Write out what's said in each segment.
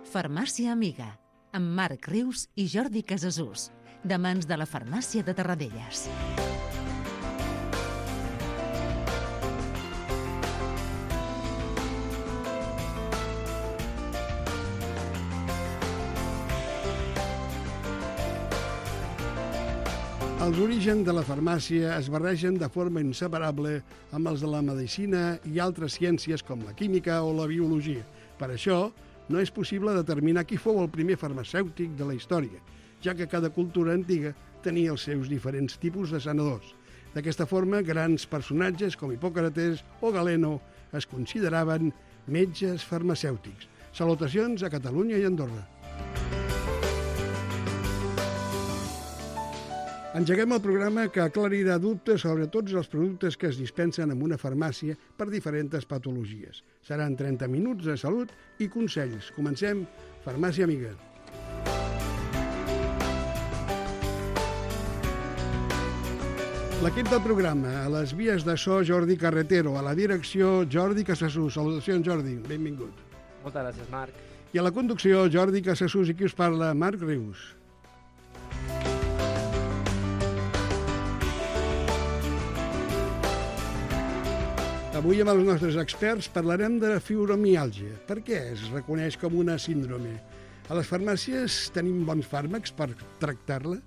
Farmàcia Amiga, amb Marc Rius i Jordi Casassús, de mans de la Farmàcia de Tarradellas. Els orígens de la farmàcia es barregen de forma inseparable amb els de la medicina i altres ciències com la química o la biologia. Per això, no és possible determinar qui fou el primer farmacèutic de la història, ja que cada cultura antiga tenia els seus diferents tipus de sanadors. D'aquesta forma, grans personatges com Hipòcrates o Galeno es consideraven metges farmacèutics. Salutacions a Catalunya i Andorra. Engeguem el programa que aclarirà dubtes sobre tots els productes que es dispensen en una farmàcia per diferents patologies. Seran 30 minuts de salut i consells. Comencem. Farmàcia Amiga. L'equip del programa, a les vies de so Jordi Carretero, a la direcció Jordi Casassús. Salutacions, Jordi, benvingut. Moltes gràcies, Marc. I a la conducció Jordi Casassús i qui us parla, Marc Rius. Avui amb els nostres experts parlarem de la fibromiàlgia. Per què es reconeix com una síndrome? A les farmàcies tenim bons fàrmacs per tractar-la?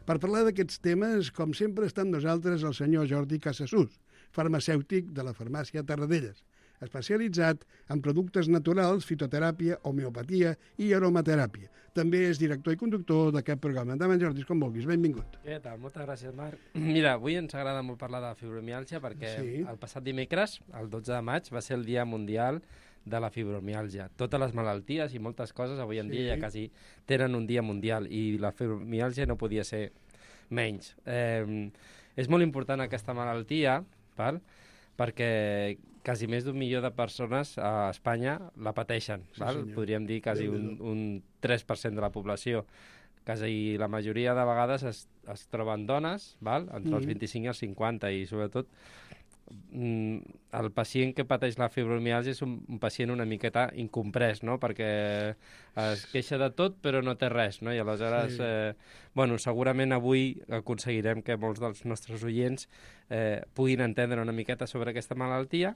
Per parlar d'aquests temes, com sempre, està amb nosaltres el senyor Jordi Casassús, farmacèutic de la Farmàcia Tarradellas, especialitzat en productes naturals, fitoteràpia, homeopatia i aromateràpia. També és director i conductor d'aquest programa. Endavant, Jordi, com vulguis. Benvingut. Què tal? Moltes gràcies, Marc. Mira, avui ens agrada molt parlar de fibromiàlgia perquè el passat dimecres, el 12 de maig, va ser el Dia Mundial de la Fibromiàlgia. Totes les malalties i moltes coses avui en dia ja quasi tenen un dia mundial i la fibromiàlgia no podia ser menys. És molt important aquesta malaltia, perquè quasi més d'1 milió de persones a Espanya la pateixen. Podríem dir quasi un 3% de la població. Quasi la majoria de vegades es troben dones, entre els 25 i els 50, i sobretot el pacient que pateix la fibromiàlgia és un pacient una miqueta incomprès, no? Perquè es queixa de tot però no té res, no? I aleshores, segurament avui aconseguirem que molts dels nostres oients puguin entendre una miqueta sobre aquesta malaltia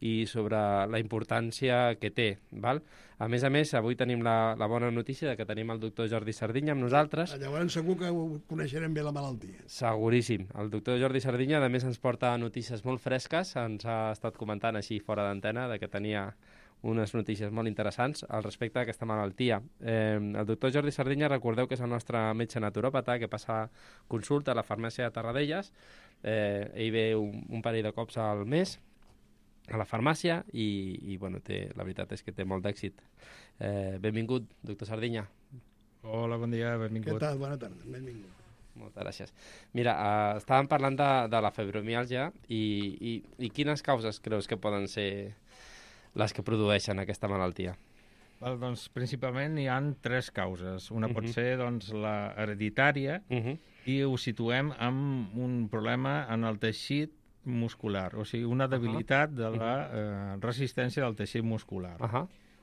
i sobre la importància que té, val? A més, avui tenim la bona notícia de que tenim el doctor Jordi Sardinya amb nosaltres. Llavors segur que coneixerem bé la malaltia. Seguríssim. El doctor Jordi Sardinya, a més, ens porta notícies molt fresques. Ens ha estat comentant així fora d'antena de que tenia unes notícies molt interessants al respecte d'aquesta malaltia. El doctor Jordi Sardinya, recordeu que és el nostre metge naturòpata que passa consulta a la farmàcia de Tarradellas. Ell ve un parell de cops al mes a la farmàcia i la veritat és que té molt d'èxit. Benvingut, doctor Sardinya. Hola, bon dia, benvingut. Què tal? Bona tarda, benvingut. Moltes gràcies. Mira, estàvem parlant de la fibromiàlgia i quines causes creus que poden ser les que produeixen aquesta malaltia? Doncs principalment hi ha 3 causes. Una pot ser la hereditària i ho situem amb un problema en el teixit muscular, o sigui, una debilitat de la resistència del teixit muscular.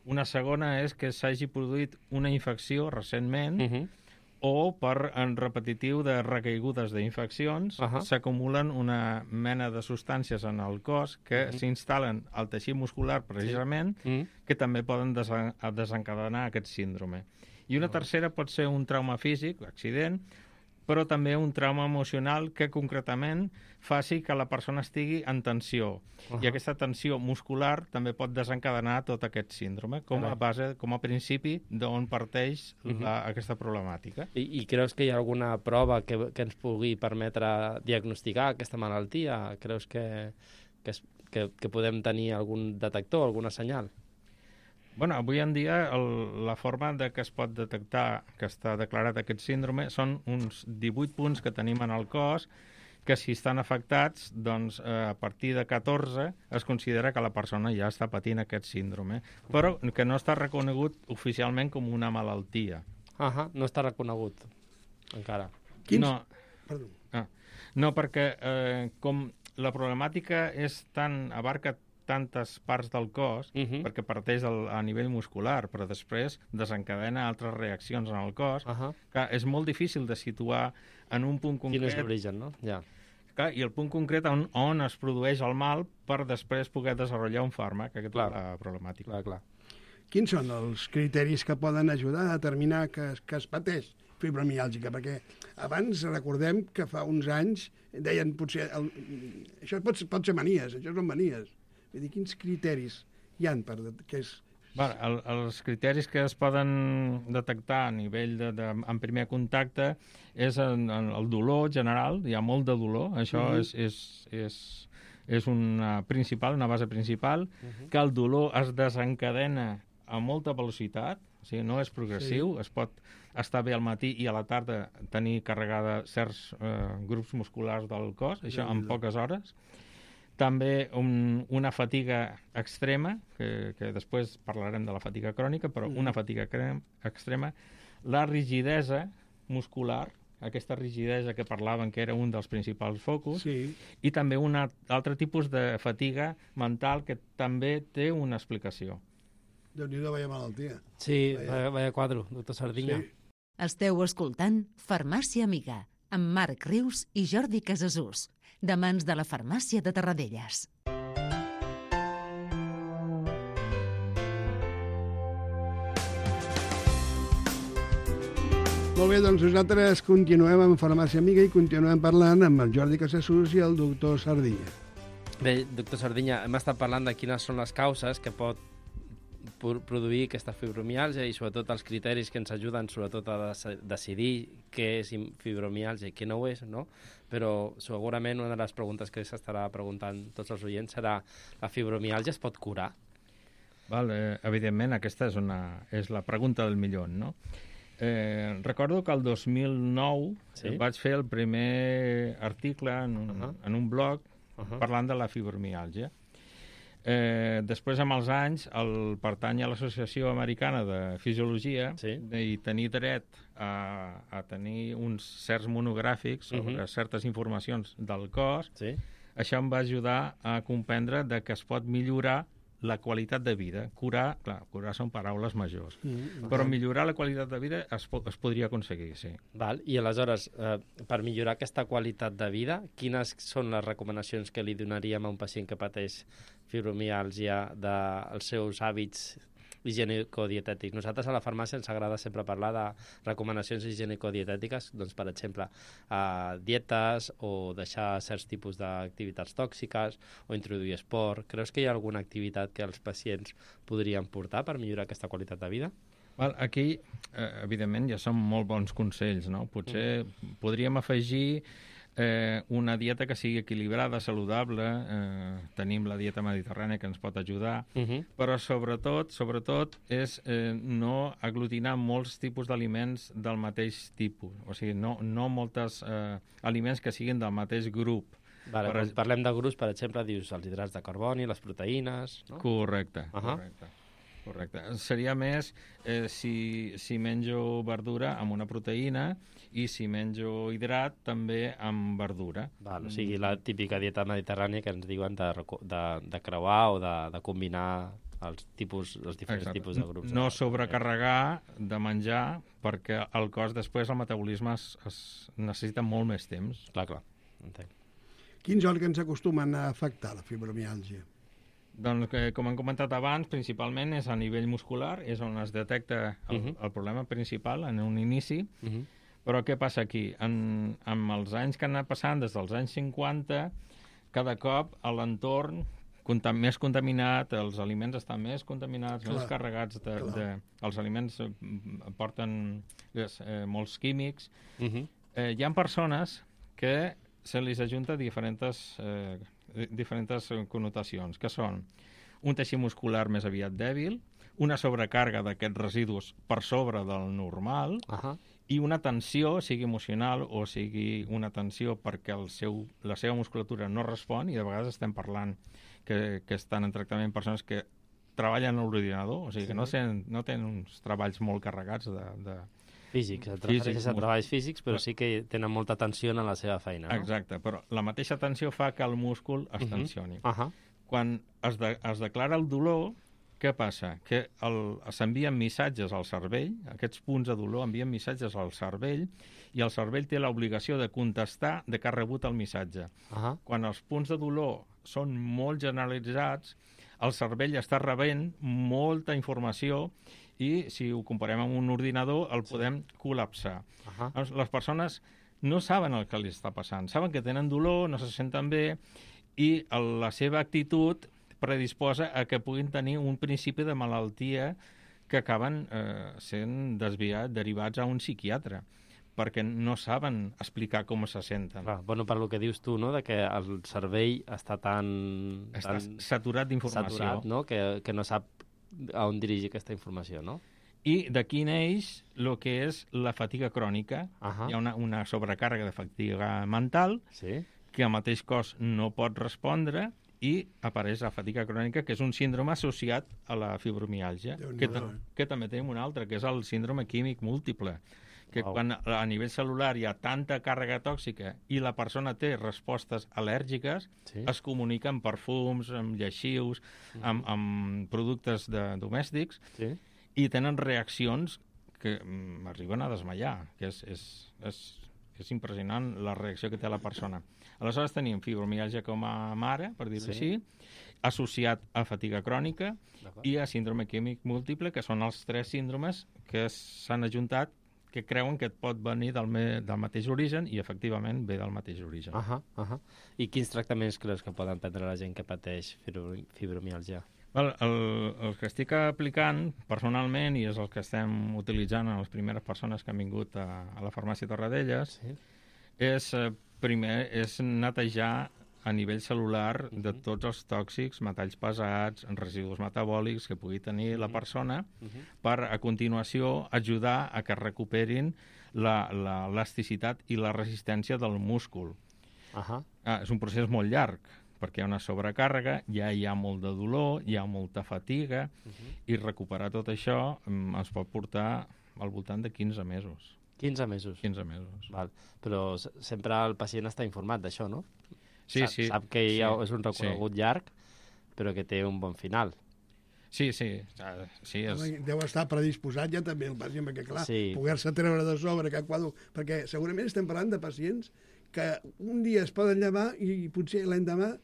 Una segona és que s'hagi produït una infecció recentment o per en repetitiu de recaigudes d'infeccions s'acumulen una mena de substàncies en el cos que s'instal·len al teixit muscular precisament que també poden desencadenar aquest síndrome. I una tercera pot ser un trauma físic, accident, però també un trauma emocional que concretament faci que la persona estigui en tensió. I aquesta tensió muscular també pot desencadenar tot aquest síndrome, com a principi d'on parteix aquesta problemàtica. I creus que hi ha alguna prova que ens pugui permetre diagnosticar aquesta malaltia? Creus que podem tenir algun detector, alguna senyal? Avui en dia la forma de que es pot detectar que està declarat aquest síndrome són uns 18 punts que tenim en el cos que si estan afectats, doncs a partir de 14 es considera que la persona ja està patint aquest síndrome, però que no està reconegut oficialment com una malaltia. No està reconegut encara. No, perquè com la problemàtica abarca tantes parts del cos, perquè parteix a nivell muscular, però després desencadena altres reaccions en el cos, que és molt difícil de situar en un punt concret. Quin és l'origen, no? Ja. I el punt concret on es produeix el mal per després poder desenvolupar un fàrmac, aquesta és la problemàtica. Clar. Quins són els criteris que poden ajudar a determinar que es pateix fibromiàlgica? Perquè abans recordem que fa uns anys deien potser això pot ser manies, això són manies. Vull dir, quins criteris hi ha que és... Els criteris que es poden detectar a nivell en primer contacte és el dolor general, hi ha molt de dolor, això és una base principal, que el dolor es desencadena a molta velocitat, o sigui, no és progressiu, es pot estar bé al matí i a la tarda tenir carregada certs grups musculars del cos, això en poques hores. També una fatiga extrema, que després parlarem de la fatiga crònica, però una fatiga extrema, la rigidesa muscular, aquesta rigidesa que parlaven que era un dels principals focus, i també un altre tipus de fatiga mental que també té una explicació. Déu-n'hi-do, vaya malaltia. Sí, vaya quadro, doctor Sardinya. Esteu escoltant Farmàcia Amiga, amb Marc Rius i Jordi Casasús, de mans de la Farmàcia de Tarradellas. Molt bé, doncs nosaltres continuem amb Farmàcia Amiga i continuem parlant amb el Jordi Casasús i el doctor Sardinya. Bé, doctor Sardinya, hem estat parlant de quines són les causes que pot produir aquesta fibromiàlgia i sobretot els criteris que ens ajuden sobretot a decidir què és fibromiàlgia i què no ho és, no? Però segurament una de les preguntes que s'estarà preguntant tots els oients serà: la fibromiàlgia es pot curar? Evidentment, aquesta és la pregunta del milió, no? Recordo que el 2009 vaig fer el primer article en un blog parlant de la fibromiàlgia. Després, amb els anys, pertany a l'Associació Americana de Fisiologia i tenir dret a tenir uns certs monogràfics sobre certes informacions del cos, això em va ajudar a comprendre que es pot millorar la qualitat de vida. Curar són paraules majors, però millorar la qualitat de vida es podria aconseguir, sí. I aleshores, per millorar aquesta qualitat de vida, quines són les recomanacions que li donaríem a un pacient que pateix fibromiàlgia dels seus hàbits higienico-dietètics? Nosaltres a la farmàcia ens agrada sempre parlar de recomanacions higienico-dietètiques, doncs, per exemple, dietes o deixar certs tipus d'activitats tòxiques o introduir esport. Creus que hi ha alguna activitat que els pacients podrien portar per millorar aquesta qualitat de vida? Aquí, evidentment, ja són molt bons consells, no? Potser podríem afegir una dieta que sigui equilibrada, saludable, tenim la dieta mediterrània que ens pot ajudar, però sobretot és no aglutinar molts tipus d'aliments del mateix tipus, o sigui, no molts aliments que siguin del mateix grup. Quan parlem de grups, per exemple, dius els hidrats de carboni, les proteïnes, no? Correcte. Seria més si menjo verdura amb una proteïna i si menjo hidrat també amb verdura. O sigui, la típica dieta mediterrània que ens diuen de creuar o de combinar els diferents tipus de grups. No sobrecarregar de menjar, perquè el cos després, el metabolisme es necessita molt més temps. Clar, entenc. Quins òrgans acostumen a afectar la fibromiàlgia? Doncs, com hem comentat abans, principalment és a nivell muscular, és on es detecta el problema principal en un inici. Però què passa aquí? Amb els anys que han anat passant, des dels anys 50, cada cop l'entorn més contaminat, els aliments estan més contaminats, més carregats els aliments porten molts químics. Hi ha persones que se li ajunta diferents connotacions, que són un teixit muscular més aviat dèbil, una sobrecàrrega d'aquests residus per sobre del normal i una tensió, sigui emocional o sigui una tensió perquè la seva musculatura no respon, i de vegades estem parlant que estan en tractament persones que treballen a l'ordinador, o sigui que no tenen uns treballs molt carregats de físics, et refereixes a treballs físics, però sí que tenen molta tensió en la seva feina, no? Exacte, però la mateixa tensió fa que el múscul es tensioni. Quan es declara el dolor, què passa? Que s'envien missatges al cervell, aquests punts de dolor envien missatges al cervell, i el cervell té l'obligació de contestar de que ha rebut el missatge. Quan els punts de dolor són molt generalitzats, el cervell està rebent molta informació i, si ho comparem amb un ordinador, el podem col·lapsar. Les persones no saben el que li està passant. Saben que tenen dolor, no se senten bé, i la seva actitud predisposa a que puguin tenir un principi de malaltia que acaben sent derivats a un psiquiatre, perquè no saben explicar com se senten. Bueno, per lo que dius tu, no?, de que el cervell està tan saturat d'informació. Saturat, no?, que no sap a on dirigir aquesta informació, no? I d'aquí neix el que és la fatiga crònica. Hi ha una sobrecàrrega de fatiga mental que el mateix cos no pot respondre i apareix la fatiga crònica, que és un síndrome associat a la fibromiàlgia, que també tenim un altre, que és el síndrome químic múltiple, que quan a nivell celular hi ha tanta càrrega tòxica i la persona té respostes al·lèrgiques, es comunica amb perfums, amb lleixius, amb productes domèstics, i tenen reaccions que m'arriben a desmaiar, que és impressionant la reacció que té la persona. Aleshores tenim fibromiàlgia com a mare, per dir-ho així, associat a fatiga crònica i a síndrome químic múltiple, que són els 3 síndromes que s'han ajuntat, que creuen que et pot venir del mateix origen, i efectivament ve del mateix origen. I quins tractaments creus que poden prendre la gent que pateix fibromiàlgia? El que estic aplicant personalment, i és el que estem utilitzant en les primeres persones que han vingut a la farmàcia Torradellas, és netejar a nivell celular de tots els tòxics, metalls pesats, residus metabòlics que pugui tenir la persona, per a continuació ajudar a que recuperin l'elasticitat i la resistència del múscul. És un procés molt llarg, perquè hi ha una sobrecàrrega, ja hi ha molt de dolor, hi ha molta fatiga, i recuperar tot això ens pot portar al voltant de 15 mesos. 15 mesos? 15 mesos. Val. Però sempre el pacient està informat d'això, no? Sí. Sap que és un recorregut llarg, però que té un bon final. Sí. Deu estar predisposat ja també el pacient, perquè clar, poder-se treure de sobre cap quadre, perquè segurament estem parlant de pacients que un dia es poden llevar i potser l'endemà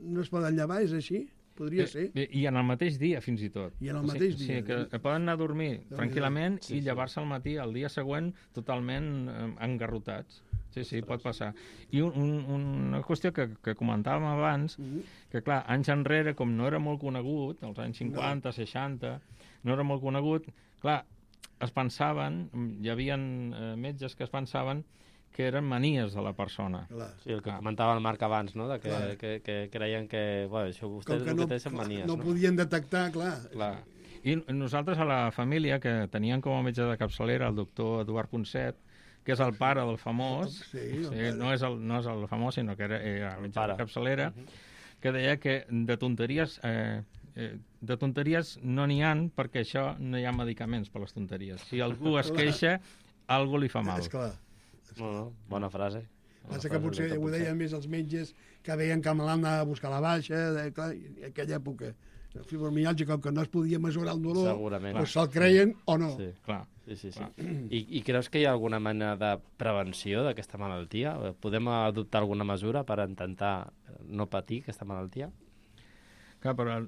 no es poden llevar, és així? Podria ser. I en el mateix dia, fins i tot. I en el mateix dia. Sí, que poden anar a dormir tranquil·lament i llevar-se al matí, el dia següent, totalment engarrotats. Sí, pot passar. I una qüestió que comentàvem abans, que clar, anys enrere, com no era molt conegut, als anys 50, 60, no era molt conegut, clar, es pensaven, hi havia metges que es pensaven que eren manies de la persona. Sí, el que comentava el Marc abans, no?, que creien que això vostès el que té són manies. No podien detectar, clar. I nosaltres a la família, que teníem com a metge de capçalera el doctor Eduard Ponset, que és el pare del famós, no és el famós, sinó que era metge de capçalera, que deia que de tonteries no n'hi ha, perquè això no hi ha medicaments per les tonteries. Si algú es queixa, algú li fa mal. És clar. Bona frase. Passa que potser ho deien més els metges que veien que me l'han a buscar la baixa, clar, en aquella època. El fibromiàlgia, com que no es podia mesurar el dolor, doncs se'l creien o no. Sí, clar. I creus que hi ha alguna mena de prevenció d'aquesta malaltia? Podem adoptar alguna mesura per intentar no patir aquesta malaltia? Clar, però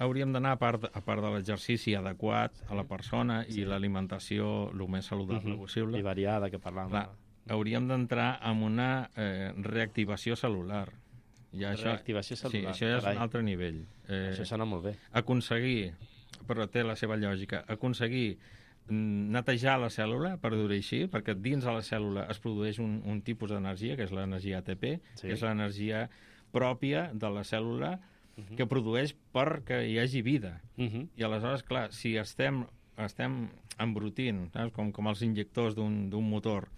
hauríem d'anar, a part de l'exercici adequat a la persona i l'alimentació el més saludable possible. I variada, que parlàvem. Hauríem d'entrar en una reactivació celular. Reactivació celular. Sí, això ja és un altre nivell. Això sona molt bé. Aconseguir, però té la seva lògica, netejar la cèl·lula, per dir-ho així, perquè dins de la cèl·lula es produeix un tipus d'energia, que és l'energia ATP, que és l'energia pròpia de la cèl·lula, que produeix perquè hi hagi vida. I aleshores, clar, si estem embrutint, com els injectors d'un motor,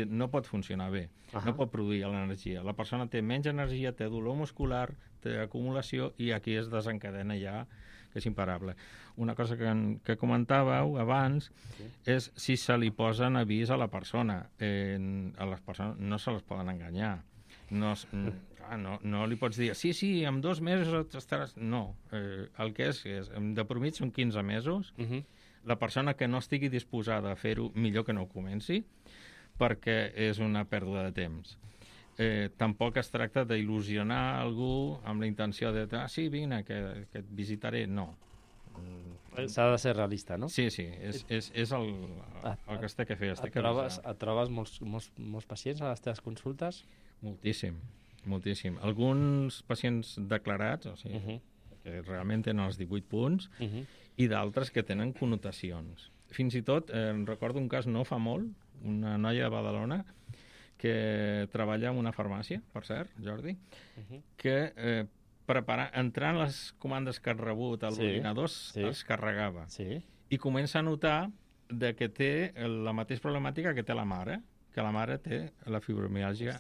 no pot funcionar bé, no pot produir l'energia. La persona té menys energia, té dolor muscular, té acumulació, i aquí es desencadena ja, que és imparable. Una cosa que comentàveu abans és si se li posen avís a la persona. A les persones no se les poden enganyar. No li pots dir, sí, en 2 mesos estaràs... No, el que és de promit són 15 mesos. La persona que no estigui disposada a fer-ho, millor que no ho comenci, perquè és una pèrdua de temps. Tampoc es tracta d'il·lusionar algú amb la intenció de sí, vine, que et visitaré. No. S'ha de ser realista, no? Sí, és el que es té que fer. Et trobes molts pacients a les teves consultes? Moltíssim. Alguns pacients declarats, o sigui, que realment tenen els 18 punts, i d'altres que tenen connotacions. Fins i tot, recordo un cas no fa molt, una noia de Badalona, que treballa en una farmàcia, per cert, Jordi, que entrant les comandes que ha rebut a l'ordinador es carregava. I comença a notar que té la mateixa problemàtica que té la mare, que la mare té la fibromiàlgia.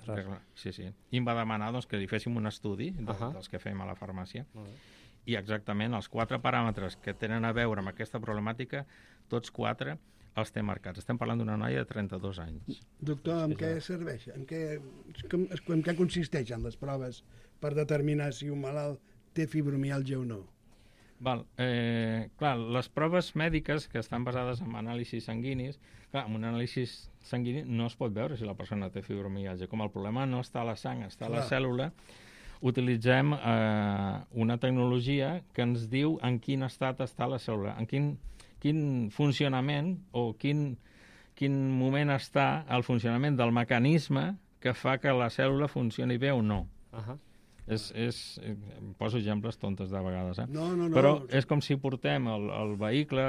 Sí. I em va demanar que li féssim un estudi dels que fem a la farmàcia. I exactament els 4 paràmetres que tenen a veure amb aquesta problemàtica, tots 4 els té marcats. Estem parlant d'una noia de 32 anys. Doctor, en què serveix? En què consisteixen les proves per determinar si un malalt té fibromiàlgia o no? Clar, les proves mèdiques que estan basades en anàlisis sanguinis, clar, amb un anàlisi sanguini no es pot veure si la persona té fibromiàlgia. Com el problema no està a la sang, està a la cèl·lula, utilitzem una tecnologia que ens diu en quin estat està la cèl·lula, en quin funcionament o quin moment està el funcionament del mecanisme que fa que la cèl·lula funcioni bé o no. Poso exemples tontes de vegades, No. Però és com si portem el vehicle,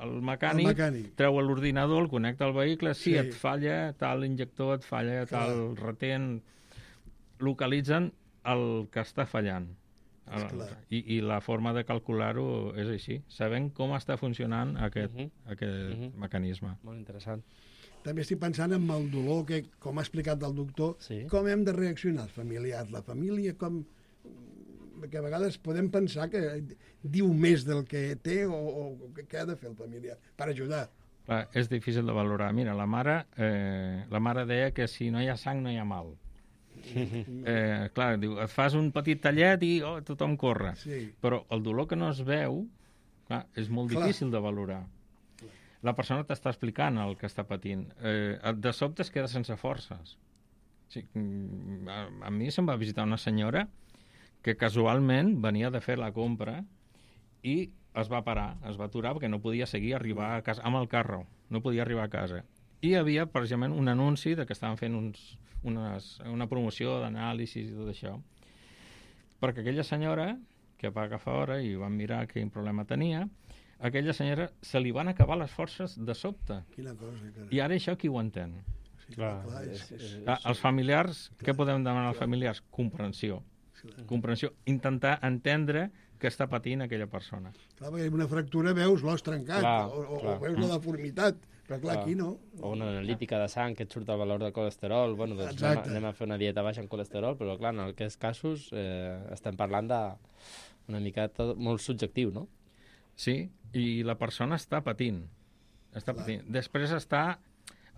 el mecànic, treu l'ordinador, el connecta al vehicle, et falla tal injector, et falla tal retent, localitzen el que està fallant. I la forma de calcular-ho és així, sabent com està funcionant aquest mecanisme. Molt interessant. També estic pensant en el dolor que, com ha explicat el doctor, com hem de reaccionar els familiars, la família, perquè a vegades podem pensar que diu més del que té o què ha de fer el familiar per ajudar. Clar, és difícil de valorar. Mira, la mare deia que si no hi ha sang no hi ha mal. Clar, diu, et fas un petit tallet i tothom corre. Però el dolor que no es veu, clar, és molt difícil de valorar. La persona t'està explicant el que està patint. De sobte es queda sense forces. A mi se'm va visitar una senyora que casualment venia de fer la compra i es va parar, es va aturar perquè no podia seguir arribar a casa amb el carro, no podia arribar a casa. I hi havia precisament un anunci de que estaven fent una promoció d'anàlisis i tot això. Perquè aquella senyora, que va agafar hora i van mirar quin problema tenia, aquella senyora se li van acabar les forces de sobte. Quina cosa, carai. I ara això qui ho entén? Els familiars, què podem demanar als familiars? Comprensió. Intentar entendre què està patint aquella persona. Clar, perquè una fractura veus l'os trencat o veus la deformitat, però clar, aquí no. O una analítica de sang que et surt el valor de colesterol, bueno, doncs anem a fer una dieta baixa en colesterol, però clar, en aquests casos estem parlant d'una mica molt subjectiu, no? Sí, i la persona està patint. Després està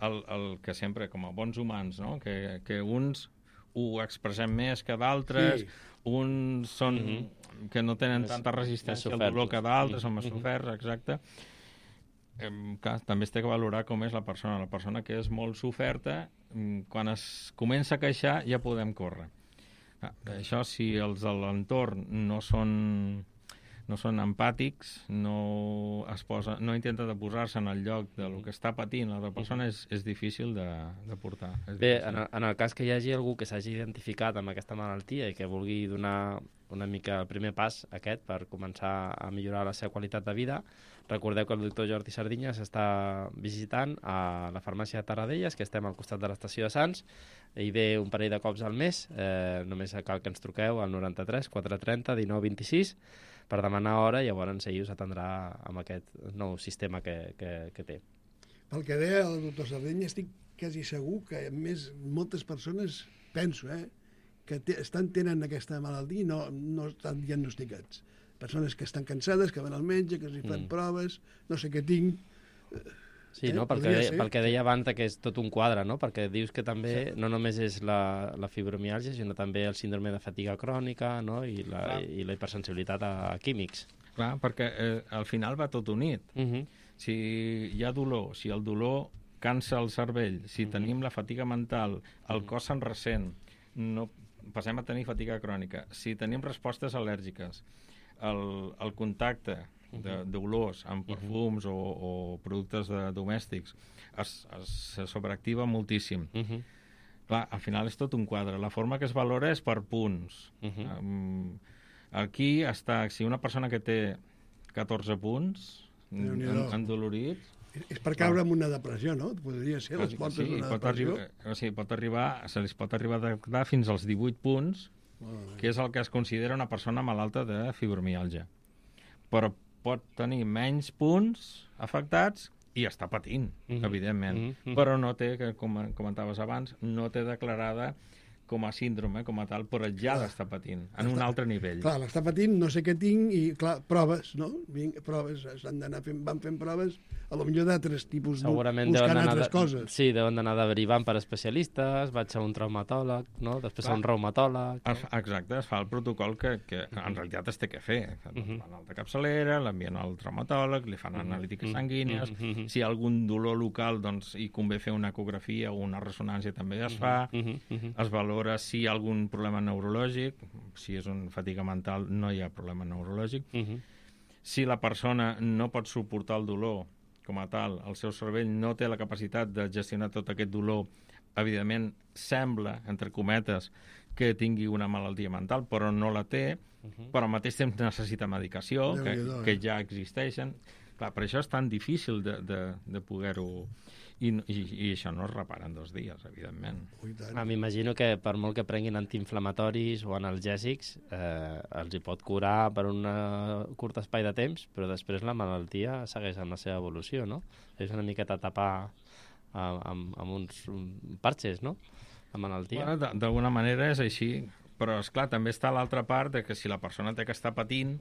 el que sempre, com a bons humans, no? Que uns ho expressem més que d'altres, uns són que no tenen tanta resistència al dolor que d'altres, són més soferts, exacte. També es té que valorar com és la persona que és molt soferta, quan es comença a queixar ja podem córrer. Això, si els de l'entorn no són empàtics, no intenten de posar-se en el lloc del que està patint l'altra persona, és difícil de portar. Bé, en el cas que hi hagi algú que s'hagi identificat amb aquesta malaltia i que vulgui donar una mica el primer pas aquest per començar a millorar la seva qualitat de vida, recordeu que el doctor Jordi Sardinya s'està visitant a la farmàcia de Tarradellas, que estem al costat de l'estació de Sants, i ve un parell de cops al mes, només cal que ens truqueu al 93 430 19 26 per demanar hora, i llavors ell us atendrà amb aquest nou sistema que té. Pel que deia el doctor Sardinya, estic quasi segur que moltes persones, penso, que tenen aquesta malaltia i no estan diagnosticats. Persones que estan cansades, que van al metge, que s'hi fan proves, no sé què tinc. Sí, no? Pel que deia abans, que és tot un quadre, no? Perquè dius que també no només és la fibromiàlgia, sinó també el síndrome de fatiga crònica, no? I la hipersensibilitat a químics. Clar, perquè al final va tot unit. Si hi ha dolor, si el dolor cansa el cervell, si tenim la fatiga mental, el cos se'n ressent, passem a tenir fatiga crònica. Si tenim respostes al·lèrgiques, el contacte d'olors amb perfums o productes domèstics se sobreactiva moltíssim. Clar, al final és tot un quadre. La forma que es valora és per punts. Aquí està, si una persona que té 14 punts endolorits... És per caure en una depressió, no? Podria ser les portes d'una depressió. Se li pot arribar a detectar fins als 18 punts, que és el que es considera una persona malalta de fibromiàlgia. Però pot tenir menys punts afectats i està patint, evidentment. Però no té, com comentaves abans, no té declarada com a síndrome, com a tal, però ja l'està patint, en un altre nivell. Clar, l'està patint, no sé què tinc, i clar, proves, no? Proves, van fent proves, a lo millor d'altres tipus, buscant altres coses. Sí, deuen d'anar derivant per especialistes, vaig a un traumatòleg, no? Després a un reumatòleg. Exacte, es fa el protocol que en realitat es té que fer. Van a la capçalera, l'envien al traumatòleg, li fan analítiques sanguínies, si hi ha algun dolor local, doncs hi convé fer una ecografia o una ressonància també es fa, es valora si hi ha algun problema neurològic, si és una fatiga mental no hi ha problema neurològic. Si la persona no pot suportar el dolor com a tal, el seu cervell no té la capacitat de gestionar tot aquest dolor, evidentment sembla, entre cometes, que tingui una malaltia mental, però no la té, però al mateix temps necessita medicació, que ja existeixen. Clar, per això és tan difícil de poder-ho... I això no es repara en 2 dies, evidentment. M'imagino que per molt que prenguin antiinflamatoris o analgèsics, els hi pot curar per un curt espai de temps, però després la malaltia segueix amb la seva evolució, no? És una miqueta tapar amb uns parxes, no? La malaltia. Bueno, d'alguna manera és així, però esclar, també està l'altra part de que si la persona té que estar patint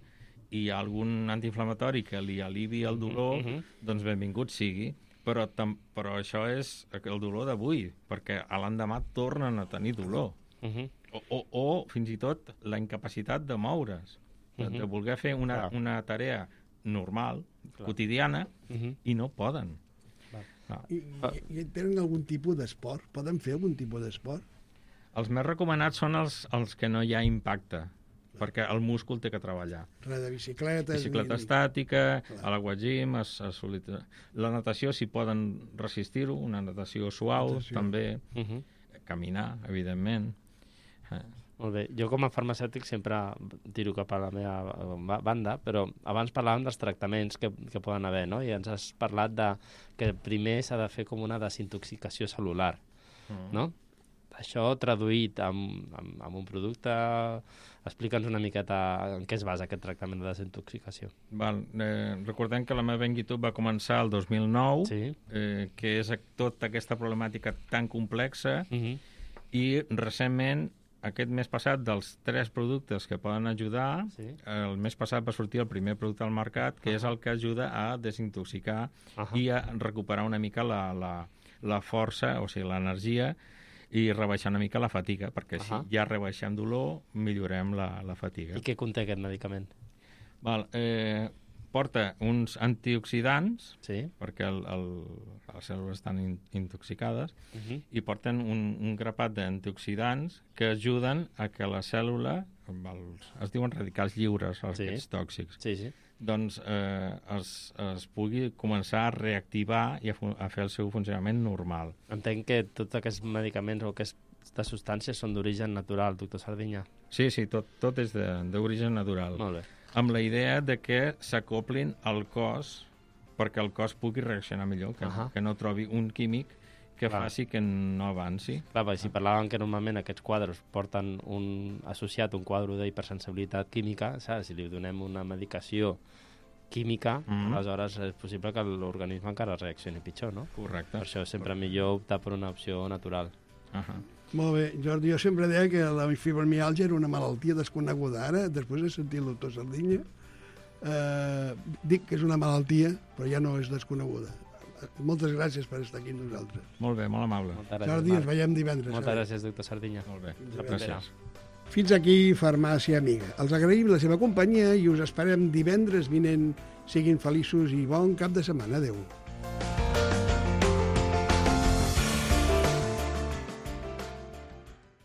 i hi ha algun antiinflamatori que li alivi el dolor, doncs benvingut sigui. Però això és el dolor d'avui, perquè a l'endemà tornen a tenir dolor. O fins i tot la incapacitat de moure's, de voler fer una tarea normal, quotidiana, i no poden. I tenen algun tipus d'esport? Poden fer algun tipus d'esport? Els més recomanats són els que no hi ha impacte, perquè el múscul té que treballar. Res de bicicleta estàtica, a l'aquagym, la natació, si poden resistir-ho, una natació suau, també, caminar, evidentment. Molt bé. Jo com a farmacèutic sempre tiro cap a la meva banda, però abans parlàvem dels tractaments que poden haver, no? I ens has parlat que primer s'ha de fer com una desintoxicació cel·lular, no? Això traduït amb un producte... Explica'ns una miqueta en què es basa aquest tractament de desintoxicació. Recordem que la meva inquietud va començar el 2009, que és tota aquesta problemàtica tan complexa, i recentment, aquest mes passat, dels 3 productes que poden ajudar, el mes passat va sortir el primer producte al mercat, que és el que ajuda a desintoxicar i a recuperar una mica la força, o sigui, l'energia, i rebaixar una mica la fatiga, perquè així ja rebaixem dolor, millorem la fatiga. I què conté aquest medicament? Porta uns antioxidants, perquè les cèl·lules estan intoxicades, i porten un grapat d'antioxidants que ajuden a que la cèl·lula, es diuen radicals lliures, aquests tòxics, doncs es pugui començar a reactivar i a fer el seu funcionament normal. Entenc que tots aquests medicaments o aquestes substàncies són d'origen natural, doctor Sardinyà. Sí, tot és d'origen natural. Molt bé. Amb la idea de que s'acoplin al cos perquè el cos pugui reaccionar millor, que no trobi un químic que faci que no avanci. Clar, si parlàvem que normalment aquests quadres porten associat un quadre d'hipersensibilitat química, si li donem una medicació química, aleshores és possible que l'organisme encara reaccioni pitjor, no? Correcte. Per això és sempre millor optar per una opció natural. Molt bé, Jordi, jo sempre deia que la fibromiàlgia era una malaltia desconeguda. Ara, després de sentir el doctor Sardinya, dic que és una malaltia, però ja no és desconeguda. Moltes gràcies per estar aquí amb nosaltres. Molt bé, molt amable. Jordi, ens veiem divendres. Moltes gràcies, doctor Sardinya. Molt bé, Gràcies. Fins aquí Farmàcia Amiga. Els agraïm la seva companyia i us esperem divendres vinent. Siguin feliços i bon cap de setmana. Adéu.